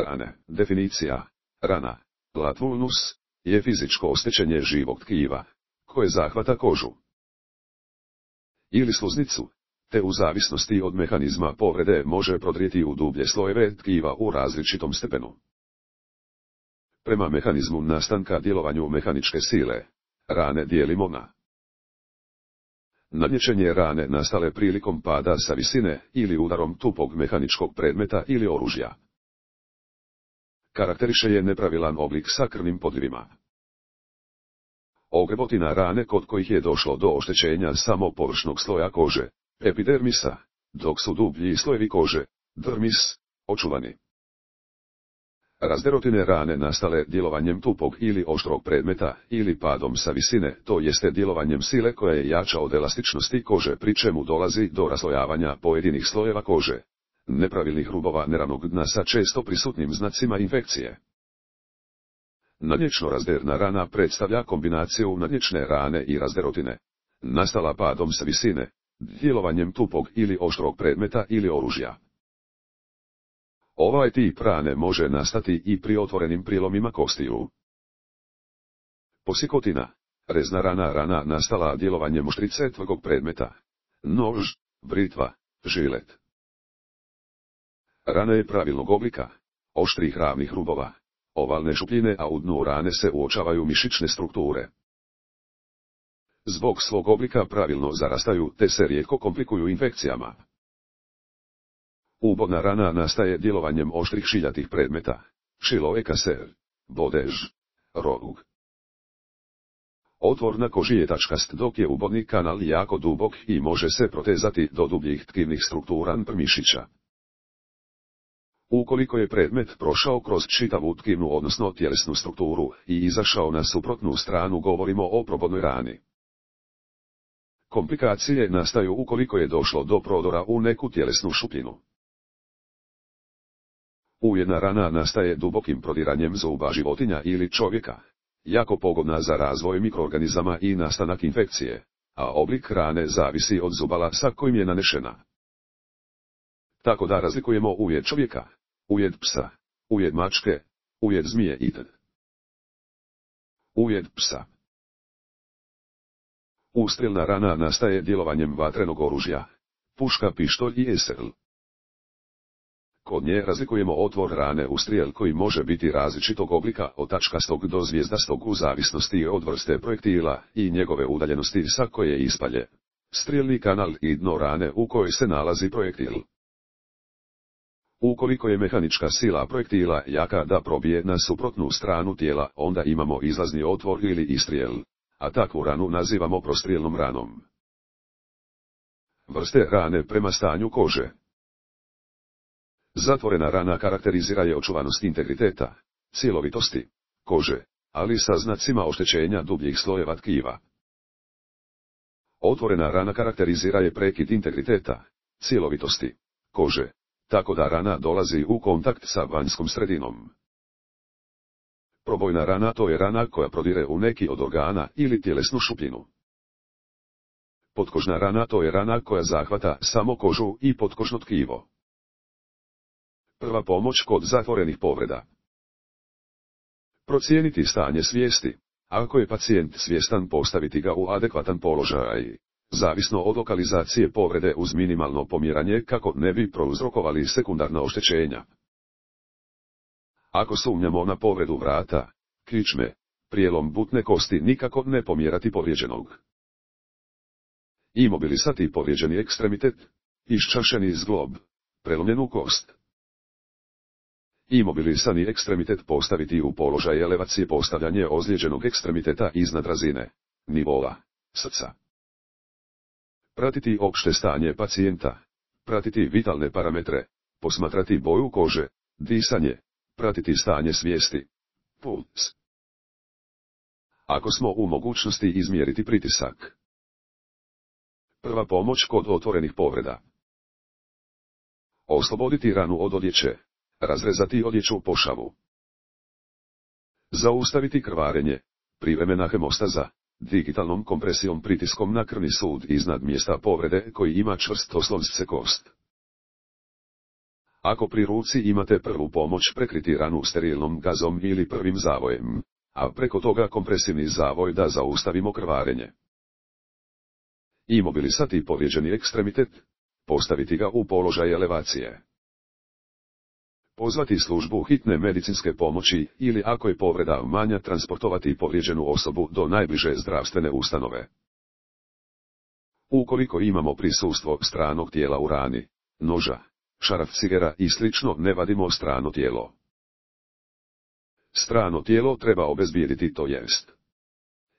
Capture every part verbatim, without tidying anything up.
Rane. Definicija. Rana, latvulnus, je fizičko oštećenje živog tkiva, koje zahvata kožu ili sluznicu, te u zavisnosti od mehanizma povrede može prodrijeti u dublje slojeve tkiva u različitom stepenu. Prema mehanizmu nastanka djelovanju mehaničke sile, rane dijelimo na nadničenje rane nastale prilikom pada sa visine ili udarom tupog mehaničkog predmeta ili oružja. Karakteriše je nepravilan oblik sa krvnim podljivima. Ogrebotina rane kod kojih je došlo do oštećenja samo površnog sloja kože, epidermisa, dok su dublji slojevi kože, dermis, očuvani. Razderotine rane nastale djelovanjem tupog ili oštrog predmeta ili padom sa visine, to jeste djelovanjem sile koja je jača od elastičnosti kože, pri čemu dolazi do raslojavanja pojedinih slojeva kože, nepravilnih rubova neravnog dna sa često prisutnim znacima infekcije. Nadnječno razderna rana predstavlja kombinaciju nadnječne rane i razderotine, nastala padom sa visine, djelovanjem tupog ili oštrog predmeta ili oružja. Ovaj tip rane može nastati i pri otvorenim prilomima kostiju. Posikotina, rezna rana, rana nastala djelovanjem oštrice tvrdog predmeta, nož, britva, žilet. Rana je pravilnog oblika, oštrih ravnih rubova, ovalne šupljine, a u dnu rane se uočavaju mišićne strukture. Zbog svog oblika pravilno zarastaju te se rijetko komplikuju infekcijama. Ubodna rana nastaje djelovanjem oštrih šiljatih predmeta, šilo ekaser, bodež, rog. Otvor na koži je tačkast, dok je ubodni kanal jako dubok i može se protezati do dubljih tkivnih struktura mišića. Ukoliko je predmet prošao kroz čitavu tkivnu odnosno tjelesnu strukturu i izašao na suprotnu stranu, govorimo o probodnoj rani. Komplikacije nastaju ukoliko je došlo do prodora u neku tjelesnu šupljinu. Ujedna rana nastaje dubokim prodiranjem zuba životinja ili čovjeka, jako pogodna za razvoj mikroorganizama i nastanak infekcije, a oblik rane zavisi od zubala sa kojim je nanešena. Tako da razlikujemo ujed čovjeka, ujed psa, ujed mačke, ujed zmije itd. Ujed psa. Ustrijelna rana nastaje djelovanjem vatrenog oružja, puška, pištolj i esel. Kod nje razlikujemo otvor rane u strijel koji može biti različitog oblika, od tačkastog do zvijezdastog u zavisnosti od vrste projektila i njegove udaljenosti sa koje ispalje, strijelni kanal i dno rane u kojoj se nalazi projektil. Ukoliko je mehanička sila projektila jaka da probije na suprotnu stranu tijela, onda imamo izlazni otvor ili istrijel, a takvu ranu nazivamo prostrijelnom ranom. Vrste rane prema stanju kože. Zatvorena rana karakterizira je očuvanost integriteta, cjelovitosti kože, ali sa znacima oštećenja dubljih slojeva tkiva. Otvorena rana karakterizira je prekid integriteta, cjelovitosti kože, tako da rana dolazi u kontakt sa vanjskom sredinom. Probojna rana, to je rana koja prodire u neki od organa ili tjelesnu šupljinu. Potkožna rana, to je rana koja zahvata samo kožu i potkožno tkivo. Prva pomoć kod zatvorenih povreda. Procijeniti stanje svijesti. Ako je pacijent svjestan, postaviti ga u adekvatan položaj, zavisno od lokalizacije povrede, uz minimalno pomjeranje kako ne bi prouzrokovali sekundarna oštećenja. Ako sumnjamo na povredu vrata, kičme, prijelom butne kosti, nikako ne pomjerati povrijeđenog. Imobilisati povrijeđeni ekstremitet, iščašeni zglob, prelomljenu kost. Imobilisani ekstremitet postaviti u položaj elevacije, postavljanje ozlijeđenog ekstremiteta iznad razine nivoa srca. Pratiti opšte stanje pacijenta, pratiti vitalne parametre, posmatrati boju kože, disanje, pratiti stanje svijesti, puls. Ako smo u mogućnosti, izmjeriti pritisak. Prva pomoć kod otvorenih povreda. Osloboditi ranu od odjeće, razrezati odjeću pošavu. Zaustaviti krvarenje, privremena hemostaza, digitalnom kompresijom, pritiskom na krvni sud iznad mjesta povrede koji ima čvrst oslonce kost. Ako pri ruci imate prvu pomoć, prekriti ranu sterilnom gazom ili prvim zavojem, a preko toga kompresivni zavoj da zaustavimo krvarenje. Imobilisati povrijeđeni ekstremitet, postaviti ga u položaj elevacije. Pozvati službu hitne medicinske pomoći ili ako je povreda manja, transportovati povrijeđenu osobu do najbliže zdravstvene ustanove. Ukoliko imamo prisustvo stranog tijela u rani, noža, šarafcigera i slično, ne vadimo strano tijelo. Strano tijelo treba obezbijediti, to jest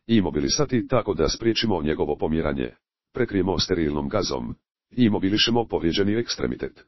imobilisati tako da spriječimo njegovo pomjeranje, prekrijemo sterilnom gazom, imobilišemo povrijeđeni ekstremitet.